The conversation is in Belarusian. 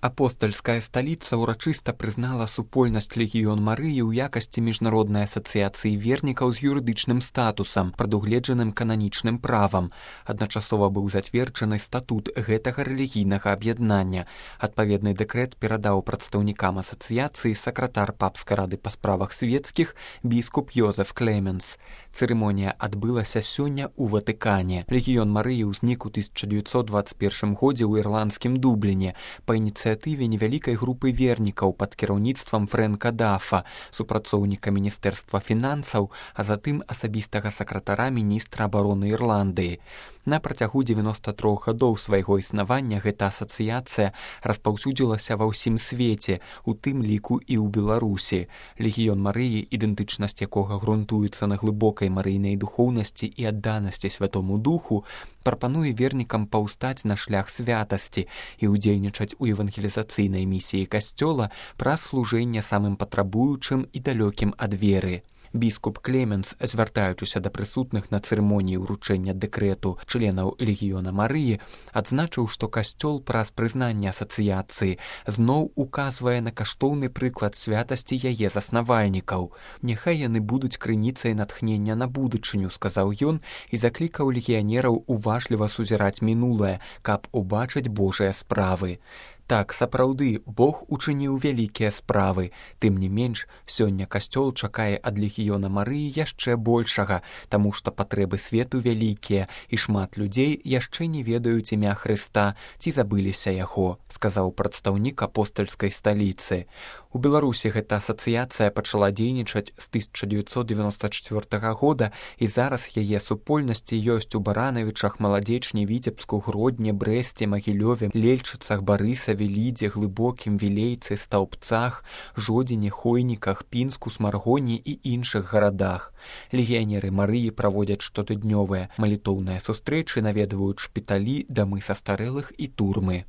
Апостальская сталіца ўрачыста прызнала супольнасць легіён Марыі ў якасці міжнароднай асацыяцыі вернікаў з юрыдычным статусам, прадугледжаным кананічным правам. Адначасова быў зацверджаны статут гэтага рэлігійнага аб'яднання. Адпаведны дэкрэт перадаў прадстаўнікам асацыяцыі сакратар папскай рады па справах свецкіх біскуп Йозеф Клеменс. Цырымонія адбылася сёння ў Ватыкане. Легіён Марыі ўзнік у 1921 годзе ў ірландскім Дубліне па ініцыятыве невялікай групы вернікаў пад кіраўніцтвам Фрэнка Дафа, супрацоўніка Міністэрства фінансаў, а затым асабістага сакратара міністра абароны Ірландыі. На працягу 93 гадоў свайго існавання гэта асацыяцыя распаўсюдзілася ва ўсім свеце, у тым ліку і ў Беларусі. Легіён Марыі, ідэнтычнасць якога грунтуецца на глыбокай марыйнай духоўнасці і адданасці святому духу, прапануе вернікам паўстаць на шлях святасці і ўдзельнічаць у евангелізацыйнай місіі касцёла праз служэнне самым патрабуючым і далёкім ад веры. Біскуп Клеменс, звяртаючыся да прысутных на цырымоніі ўручэння дэкрэту членаў легіёна Марыі, адзначыў, што касцёл праз прызнанне асацыяцыі зноў указвае на каштоўны прыклад святасці яе заснавальнікаў. Няхай яны будуць крыніцай натхнення на будучыню, сказаў ён і заклікаў легіянераў уважліва сузіраць мінулае, каб убачыць Божыя справы. Так, сапраўды, Бог учыніў вялікія справы. Тым не менш, сёння касцёл чакае ад легіёна Марыі яшчэ большага, таму што патрэбы свету вялікія, і шмат людзей яшчэ не ведаюць імя Хрыста ці забыліся яго, сказаў прадстаўнік апостальскай сталіцы. У Беларусі гэта асацыяцыя пачала дзейнічаць з 1994 года, і зараз яе супольнасці ёсць у Баранавічах, Маладзечні, Віцебску, Гродні, Брэсце, Магілёве, Лельчыцах, Барысаве, Лідзе, Глыбокім, Вілейцы, Стаўбцах, Жодзіне, Хойніках, Пінску, Смаргоні і іншых гарадах. Легіянеры Марыі праводзяць штотыднёвыя малітоўныя сустрэчы, наведваюць шпіталі, дамы састарэлых і турмы.